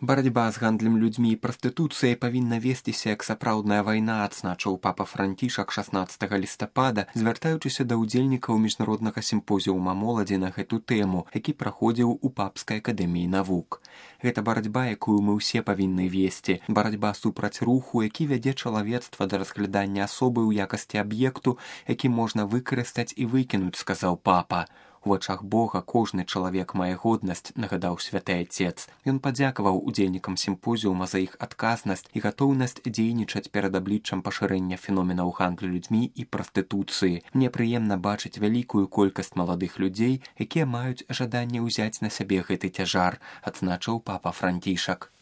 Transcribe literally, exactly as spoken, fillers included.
Барацьба з гандлем людзьмі і прастытуцыяй павінна весціся як сапраўдная вайна, адзначыў папа Францішак шаснаццатага лістапада, звяртаючыся да ўдзельнікаў міжнароднага сімпозіума моладзі на гэту тэму, які праходзіў у папскай акадэміі навук. Гэта барацьба, якую мы ўсе павінны весці, барацьба супраць руху, які вядзе чалавецтва да разглядання асобы ў якасці аб'екту, які можна выкарыстаць і выкінуць, сказаў папа. У вачах Бога кожны чалавек мае годнасць, нагадаў святы Отец. Ён падзякаваў удзельнікам сімпозіума за іх адказнасць і гатоўнасць дзейнічаць перад абліччам пашырэння феноменаў гандлю людзьмі і прастытуцыі. Мне прыемна бачыць вялікую колькасць маладых людзей, якія маюць жаданне ўзяць на сябе гэты цяжар, адзначыў папа Францішак.